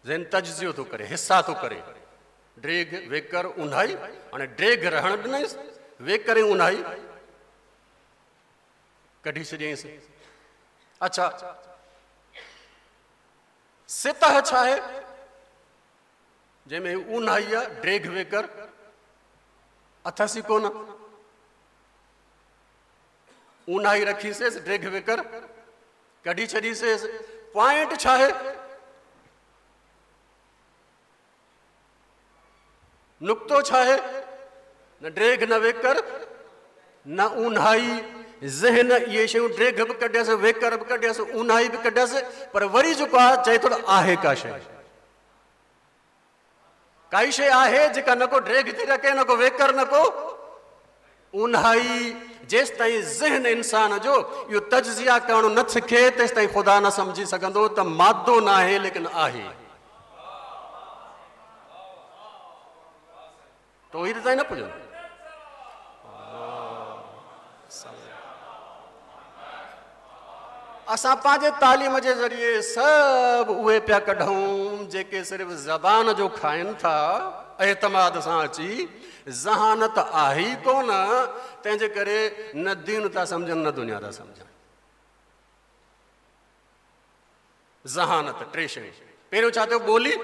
ذهن तजियो थो करे, हिसा थो करे। ड्रेघ, वेकर, उन्हाई। हाणे ड्रेघ रहण ॾिनईसि, वेकर ऐं उन्हाई कढी छॾियईंसि। अच्छा, सितह छा आहे? जंहिंमें उन्हाई आहे, ड्रेघ वेकर अथसि ई कोन। उन्हाई रखीसीं, ड्रेघ वेकर कढी छॾीसीं। पॉइंट छा आहे? नुक़्तो छा आहे? न ड्रेघ न वेकर न उन्हाई। ज़हन इहे शयूं ड्रेघ बि कढियसि, वेकर बि कढियसि, उन्हाई बि कढियसि, पर वरी जेको आहे चए थो त आहे का शइ, काई शइ आहे जेका न को ड्रेघ थी रखे, न को वेकर, न को उन्हाई। जेसि ताईं ज़हन इंसान जो इहो तजिया करणु न सिखे, तेसि ताईं ख़ुदा न सम्झी सघंदो त मादो न आहे लेकिन आहे। तौहीद ताईं न पुॼंदो। असां पंहिंजे तालीम जे ज़रिए सभु उहे पिया कढूं जेके सिर्फ़ु ज़बान जो खाइनि था, एतमाद सां अची। ज़हानत आहे ई कोन, तंहिंजे करे न दीन था सम्झनि न दुनिया था सम्झनि। ज़हानत टे शयूं। पहिरियों छा थियो? ॿोली।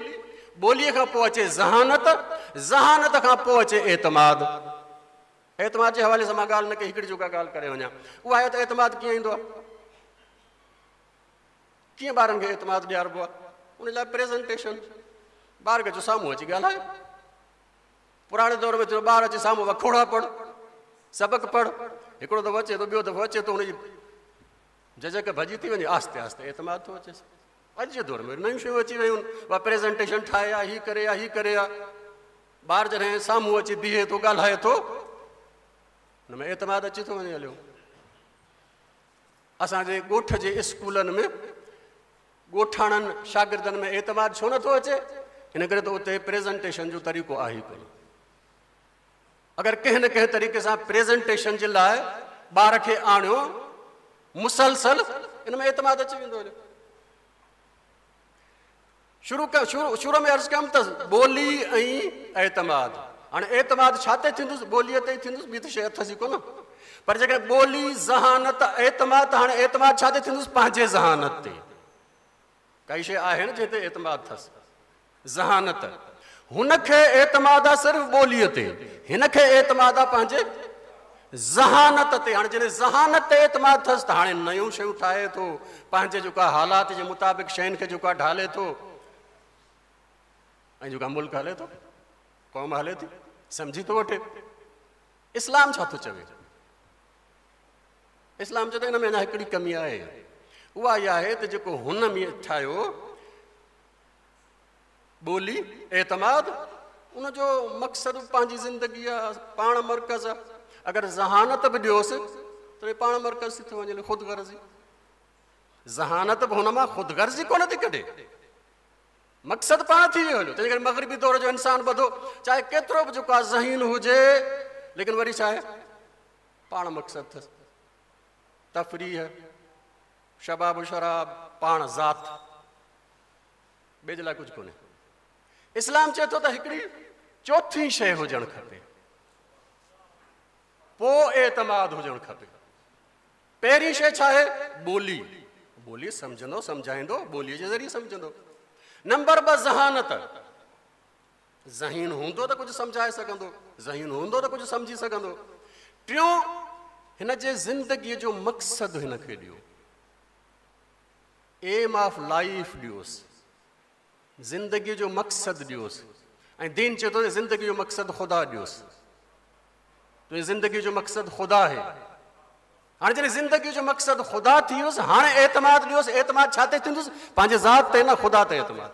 ॿोलीअ खां पोइ अचे ज़हानत, ज़हानत खां पोइ अचे एतमाद। एतमाद जे हवाले सां मां ॻाल्हि न कई, हिकिड़ी जेका ॻाल्हि करे वञा उहा आहे त एतमाद कीअं ईंदो आहे, कीअं ॿारनि खे एतमाद ॾियारबो आहे? उन लाइ प्रेज़ेंटेशन। ॿार खे चओ साम्हूं अची ॻाल्हाए। पुराणे दौर में थियो ॿार अचे साम्हूं वखोड़ा पढ़, सबक़ पढ़। हिकिड़ो दफ़ो अचे थो, ॿियो दफ़ो अचे थो, हुनजी झिझक भॼी थी वञे, आहिस्ते आहिस्ते एतमाद थो अचे। अॼु जे दौर में नयूं शयूं अची वयूं आहिनि, उहा प्रेज़ेंटेशन ठाहे आहे, हीअ करे आहे, हीअ करे आहे। ॿार जॾहिं साम्हूं अची बीहे थो, ॻाल्हाए थो, हुन में एतमाद अची थो वञे हलियो। असांजे ॻोठ जे स्कूलनि में ॻोठाणनि शागिर्दनि में एतमाद छो नथो अचे? इन करे त उते प्रेज़ेंटेशन जो तरीक़ो आहे ई कोन। अगरि कंहिं न कंहिं तरीक़े सां प्रेज़ेंटेशन जे लाइ ॿार खे आणियो मुसलसल, इन में एतमाद अची वेंदो हलियो। शुरू में अर्ज़ु कयमि त ॿोली ऐं एतमाद। हाणे एतमाद छा ते थींदुसि? ॿोलीअ ते ई थींदुसि, ॿी त शइ अथसि ई कोन। पर जेकॾहिं ॿोली, ज़हानत, एतमाद, त हाणे एतमाद छा ते थींदुसि? पंहिंजे ज़हानत ते। काई शइ आहे न जंहिं ते एतमाद अथसि? ज़हानत। हुनखे एतमाद आहे सिर्फ़ु ॿोलीअ ते, हिनखे एतमाद आहे पंहिंजे ज़हानत ते। हाणे जॾहिं ज़हानत ते एतमाद अथसि त हाणे नयूं शयूं ठाहे थो, पंहिंजे जेको आहे हालात जे मुताबिक़ शयुनि खे जेको आहे ढाले थो, ऐं जेको मुल्क हले थो, क़ौम हले थी, सम्झी थो वठे। इस्लाम छा थो चवे? इस्लाम चए थो इन में अञा हिकिड़ी कमी आहे, उहा इहा आहे त जेको हुन में ठाहियो ॿोली एतमाद, उनजो मक़सदु पंहिंजी ज़िंदगी आहे, पाण मर्कज़ आहे। अगरि ज़हानत बि ॾियोसि त पाण मर्कज़ थी थो वञे, ख़ुदि गर्ज़ी। ज़हानत बि हुन मां ख़ुदि गर्ज़ी कोन थी कढे, मक़सदु पाण थी वियो हलियो। तंहिंजे करे मग़रिबी दौर जो इंसान ॿधो, चाहे केतिरो बि जेको आहे ज़हीन हुजे, लेकिन वरी छा आहे? पाण मक़सदु अथसि। तफ़रीह, शबाब शराब, पाण ज़ात, ॿिए जे लाइ कुझु कोन्हे। इस्लाम चए थो त हिकिड़ी चोथी शइ हुजणु खपे, पोइ एतमाद हुजणु खपे। पहिरीं शइ छा आहे? ॿोली। ॿोली सम्झंदो, सम्झाईंदो, ॿोलीअ जे ज़रिए सम्झंदो। नंबर 2 ज़हानत। ज़हीन हूंदो त कुझु सम्झाए सघंदो, ज़हीन हूंदो त कुझु सम्झी सघंदो। टियों, हिन जे ज़िंदगीअ जो मक़सदु हिन खे ॾियो, एम ऑफ लाइफ ॾियोसि, ज़िंदगीअ जो मक़सदु ॾियोसि। ऐं दीन चए थो ज़िंदगी जो मक़सदु ख़ुदा ॾियोसि। तुंहिंजी ज़िंदगीअ जो मक़सदु ख़ुदा आहे। हाणे जॾहिं ज़िंदगीअ जो मक़सदु ख़ुदा थी वियोसि, हाणे एतमाद ॾियोसि। एतमाद छा ते थींदुसि? पंहिंजे ज़ात ते न, ख़ुदा ते एतमाद।